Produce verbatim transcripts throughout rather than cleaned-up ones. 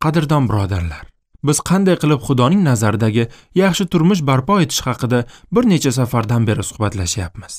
Qadrdon birodarlar, biz qanday qilib Xudoning nazaridagi yaxshi turmush barpo etish haqida bir necha safardan beri suhbatlashyapmiz.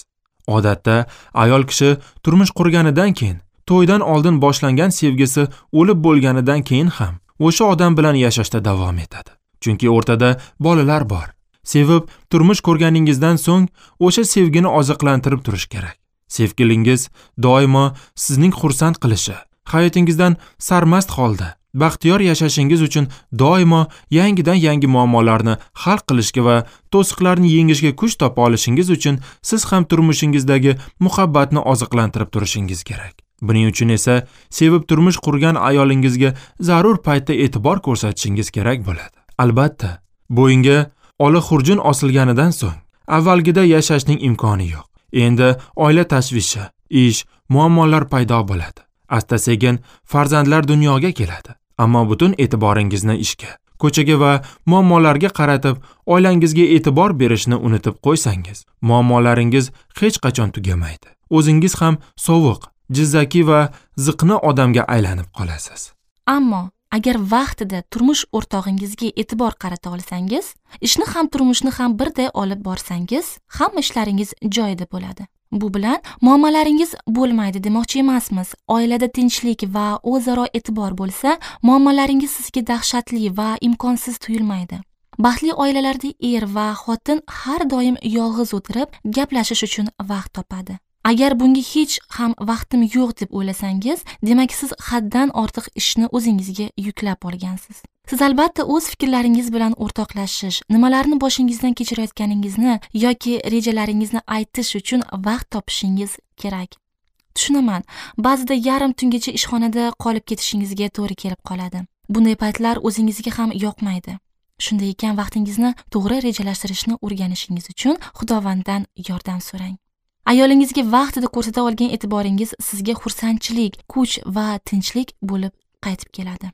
Odatda ayol kishi turmush qurganidan keyin, to'ydan oldin boshlangan sevgisi o'lib bo'lganidan keyin ham o'sha odam bilan yashashda davom etadi. Chunki o'rtada bolalar bor. Sevib turmush ko'rganingizdan so'ng o'sha sevgini oziqlantirib turish kerak. Sevgilingiz doimo sizning xursand qilishi, hayotingizdan sarmast holda baxtiyor yashashingiz uchun doimo yangidan yangi muammolarni hal qilishga va to'siqlarni yengishga kuch topa olishingiz uchun siz ham turmushingizdagi muhabbatni oziqlantirib turishingiz kerak. Buning uchun esa sevib turmush qurgan ayolingizga zarur paytda e'tibor ko'rsatishingiz kerak bo'ladi. Albatta, bo'yinga ola xurjun osilganidan so'ng avvalgida yashashning imkoni yo'q. Endi oila tashvishi, ish, muammolar paydo bo'ladi. Asta-sekin farzandlar dunyoga keladi. Ammo butun e'tiboringizni ishga, ko'chaga va muammolarga qaratib, oilangizga e'tibor berishni unutib qo'ysangiz, muammolaringiz hech qachon tugamaydi. O'zingiz ham sovuq, jizzaki va ziqna odamga aylanib qolasiz. Ammo agar vaqtida turmush o'rtog'ingizga e'tibor qarata olsangiz, ishni ham turmushni ham birday olib borsangiz, hamma ishlaringiz joyida bo'ladi. Bu bilan muammolaringiz bo'lmaydi demoqchi emasmiz. Oilada tinchlik va o'zaro e'tibor bo'lsa, muammolaringiz sizga dahshatli va imkonsiz tuyulmaydi. Baxtli oilalarda er va xotin har doim yolg'iz o'tirib gaplashish uchun vaqt topadi. Agar bunga hech ham vaqtim yo'q deb o'ylasangiz, demak siz haddan ortiq ishni o'zingizga yuklab olgansiz. Siz albatta o'z fikrlaringiz bilan o'rtoqlashish, nimalarni boshingizdan kechirayotganingizni yoki rejalaringizni aytish uchun vaqt topishingiz kerak. Tushunaman, ba'zida yarim tungacha ishxonada qolib ketishingizga to'g'ri kelib qoladi. Bunday paytlar o'zingizga ham yoqmaydi. Shunday ekan, vaqtingizni to'g'ri rejalashtirishni o'rganishingiz uchun Xudovanddan yordam so'rang. Ayolingizga vaqtida ko'rsata olgan e'tiboringiz sizga xursandchilik, kuch va tinchlik bo'lib qaytib keladi.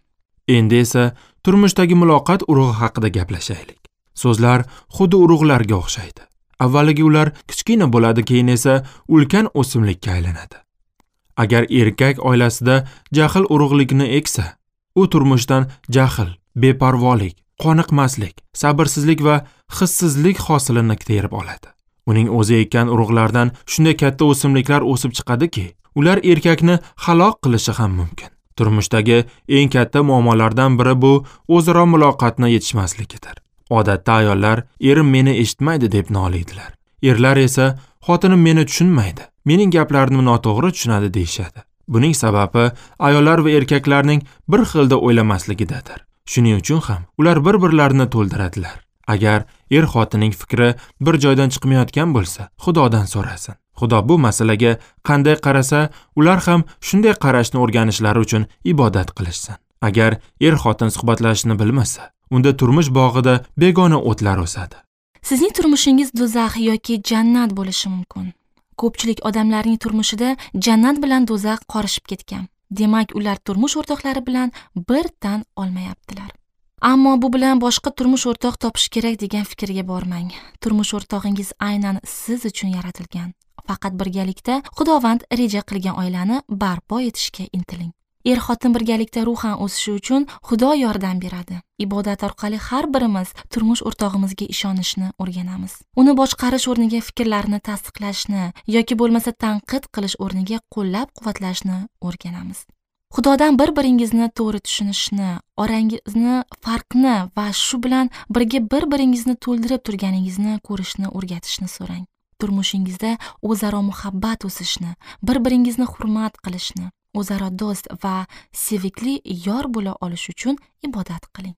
Endi esa turmushdagi muloqot urug'i haqida gaplashaylik. So'zlar xuddi urug'larga o'xshaydi. Avvaliga ular kichkina bo'ladi, keyin esa ulkan o'simlikka aylanadi. Agar erkak oilasida jahl urug'likni eksa, u turmushdan jahl, beparvolik, qoniqmaslik, sabrsizlik va hissizlik hosilini terib oladi. Uning o'zi ekkan urug'lardan shunday katta o'simliklar o'sib chiqadiki, ular erkakni halok qilishi ham mumkin. Turmushdagi eng katta muammolardan biri bu o'zaro muloqotni yetishmasligidir. Odatda ayollar erim meni eshitmaydi deb noliydilar. Erlar esa xotinim meni tushunmaydi, mening gaplarimni noto'g'ri tushunadi deyishadi. Buning sababi ayollar va erkaklarning bir xilda o'ylamasligidadir. Shuning uchun ham ular bir-birlarini to'ldiradilar. Agar er xotinning fikri bir joydan chiqmayotgan bo'lsa, Xudodan so'rasin. Xudo bu masalaga qanday qarasa, ular ham shunday qarashni o'rganishlari uchun ibodat qilishsin. Agar er xotin suhbatlashishni bilmasa, unda turmush bog'ida begona o'tlar o'sadi. Sizning turmushingiz do'zax yoki jannat bo'lishi mumkin. Ko'pchilik odamlarning turmushida jannat bilan do'zax qorishib ketgan. Demak, ular turmush o'rtoqlari bilan bir tan olmayaptilar. Ammo bu bilan boshqa turmush o'rtoq topish kerak degan fikrga bormang. Turmush o'rtog'ingiz aynan siz uchun yaratilgan. Faqat birgalikda Xudovand reja qilgan oilani barpo etishga intiling. Er-xotin birgalikda ruhan o'sishi uchun Xudo yordam beradi. Ibodat orqali har birimiz turmush o'rtog'imizga ishonishni o'rganamiz. Uni boshqarish o'rniga fikrlarini tasdiqlashni yoki bo'lmasa tanqid qilish o'rniga qo'llab-quvvatlashni o'rganamiz. Xudodan bir-biringizni to'g'ri tushunishni, orangizni farqni va shu bilan birga bir-biringizni to'ldirib turganingizni ko'rishni o'rgatishni so'rang. Turmushingizda o'zaro muhabbat o'sishni, bir-biringizni hurmat qilishni, o'zaro do'st va sevikli yor bo'la olish uchun ibodat qiling.